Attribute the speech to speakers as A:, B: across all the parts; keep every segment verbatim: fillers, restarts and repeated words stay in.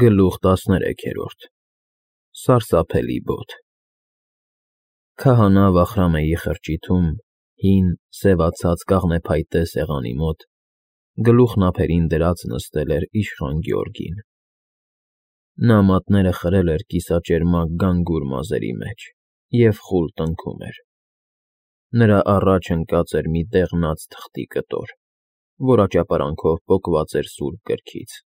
A: Գլուխ տասներեքերորդ Սարսափելի բոթ Քահանա Վախրամեի խրճիթում, հին, սևացած կաղնեփայտե սեղանի մոտ, գլուխն ափերին դրած նստել էր իշխան Գյորգին։ Նա մատները խրել էր կիսաճերմակ գանգուր մազերի մեջ և խուլ տնքում էր։ Նրա առաջ ընկած էր մի դեղնած թղթի կտոր, որ աճապարանքով պոկված էր սուրբ գրքից։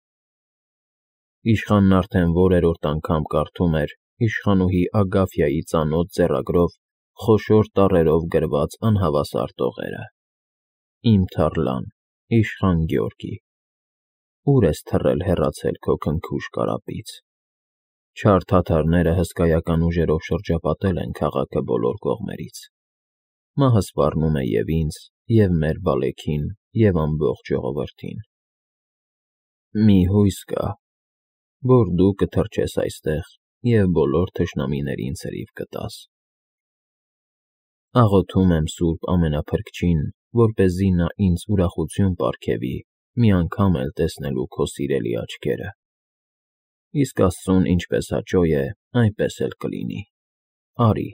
A: Իշխանն արդեն որերորդ անգամ կարդում էր իշխանուհի Ագաֆյայի ծանոթ ձեռագրով խոշոր տառերով գրված անհավասար տողերը. Իմ թառլան, իշխան Գյորգի, ուր ես թռել հեռացել քո քնքուշ կարապից։ Չար թաթարները հսկայական ուժերով շրջապատել են քաղաքը բոլոր կողմերից։ Մահը սպառնում է և ինձ, և մեր Բալեքին, և ամբողջ ժողովրդին։ Մի հույս կա, որ դու կթրջես այստեղ և բոլոր թշնամիներին ցրիվ կտաս։ Աղոթում եմ Սուրբ Ամենափրկչին, որպեսզի նա ինձ ուրախություն պարգևի մի անգամ էլ տեսնելու քո սիրելի աչքերը։ Իսկ Աստծուն ինչպես հաճո է, այնպես էլ կլինի։ Արի։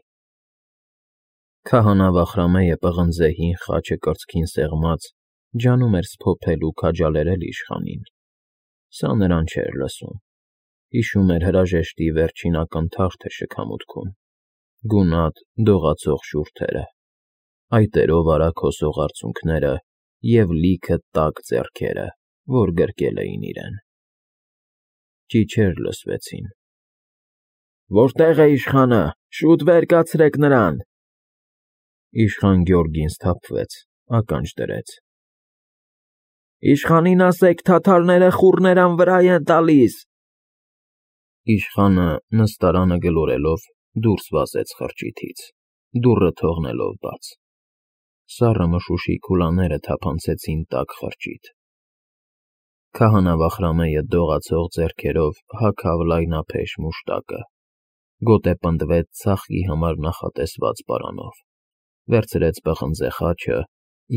A: Քահանա Վախրամեը պղնձե հին խաչը կրծքին սեղմած, ջանում էր սփոփել ու քաջալերել իշխանին։ Սա նրան չէր լսում։ Հիշում էր հրաժեշտի վերջին ակնթարթը շքամուտքում, գունատ, դողացող շուրթերը, այտերով արագ հոսող արցունքները և լիքը տաք ձեռքերը, որ գրկել էին իրեն։ Ճիչեր լսվեցին։ Որտե՞ղ է իշխանը, շուտ վեր կացրեք նրան։ Իշխան Գյորգին սթափվեց, ականջ դրեց։ Իշխանին ասեք թաթարները խուռներան վրա են տալիս։ Իշխանը, նստարանը գլորելով, դուրս վազեց խրճիթից, դուռը թողնելով բաց։ Սառը մշուշի քուլաները թափանցեցին տաք խրճիթ։ Քահանա Վախրամեը դողացող ձեռքերով հագավ լայնափեշ մուշտակը, գոտե պնդվեց ծաղկի համար նախատեսված պարանով, վերցրեց պղնձե խաչը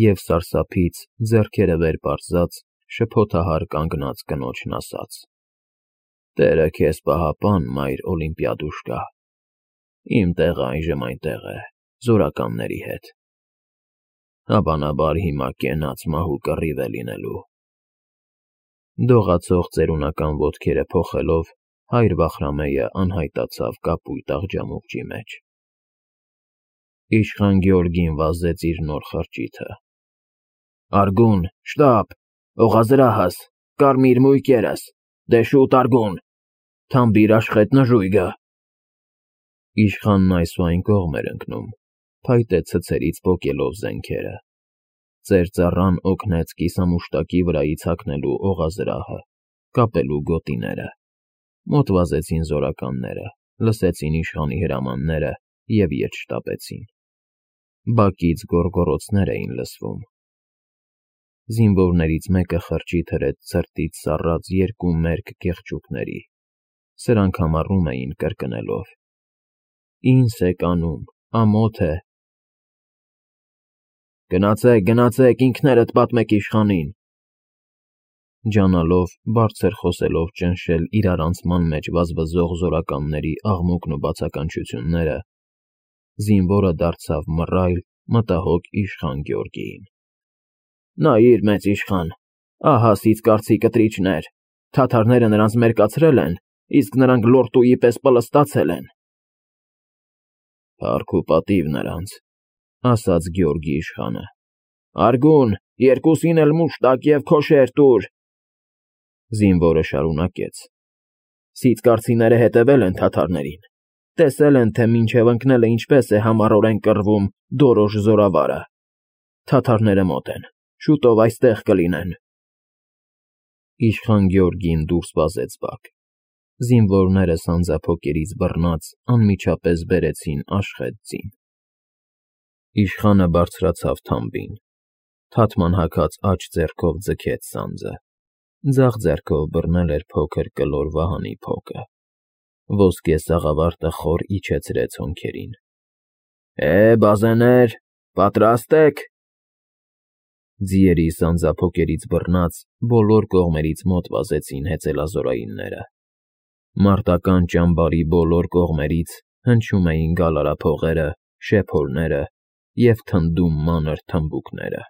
A: և սարսափից, ձեռքերը վեր պարզած, շփոթահար կանգնած կնոջն ասաց. Տերը քեզ պահապան, մայր Օլիմպիադուշկա, իմ տեղը այժմ այնտեղ է, զորականների հետ։ Հավանաբար հիմա կենաց մահու կռիվ է լինելու։ Դողացող ծերունական ոտքերը փոխելով, հայր Վախրամեը անհայտացավ կապույտ աղջամուղջի մեջ։ Իշխան Գյորգին վազեց իր նոր խրճիթը։ Արգուն, շտապ, օղազրահս, կարմիր մույկերս, դե շուտ արգուն, թամբիր աշխետ նժույգը։ Իշխանն այս ու այն կողմ էր ընկնում, փայտե ցցերից պոկելով զենքերը։ Ծեր ծառան օգնեց կիսամուշտակի վրայից հագնելու օղազրահը, կապելու գոտիները։ Մոտ վազեցին զորականները, լսեցին իշխանի հրամանները և ետ շտապեցին։ Բակից գոռգոռոցներ էին լսվում։ Զինվորներից մեկը խրճիթ հրեց ցրտից սառած երկու մերկ կեղճուկների, սրանք համառում էին կրկնելով. Ինձ եք անում, ամոթ է։ Գնացեք, գնացեք, ինքներդ պատմեք իշխանին։ Ջանալով, բարձր խոսելով ճնշել իրարանցման մեջ վազվզող զորականների աղմուկն ու բացականչությունները, զինվորը դարձավ մռայլ, մտահոգ իշխան Գյորգիին։ Նայիր, մեծ իշխան, ահա սիծկարցի կտրիչներ, թաթարները նրանց մերկացրել են, իսկ նրանք լորտուի պես պլստացել են։ Փառք ու պատիվ նրանց, ասաց Գյորգի իշխանը։ Արգուն, երկուսին էլ մուշտակ և քոշեր տուր։ Զինվորը շարունակեց. Սիծկարցիները հետևել են թաթարներին, տեսել են, թե մինչև ընկնելը ինչպես է համառորեն կռվում դորոշ զորավարը։ Թաթարները մոտ են, շուտով այստեղ կլինեն։ Իշխան Գյորգին դուրս վազեց բակ։ Զինվորները սանձափոկերից բռնած անմիջապես բերեցին աշխետ ձին։ Իշխանը բարձրացավ թամբին, թաթման հագած աջ ձեռքով ձգեց սանձը, ձախ ձեռքով բռնել էր փոքր կլոր վահանի փոկը։ Ոսկե սաղավարտը խոր իջեցրեց հոնքերին։ Է, բազեներ, պատրաստ եք։ Ձիերի սանձափոկերից բռնած, բոլոր կողմերից մոտ վազեցին հեծելազորայինները, Մարտական ճամբարի բոլոր կողմերից հնչում էին գալարափողերը, շեփորները և թնդում մանր թմբուկները։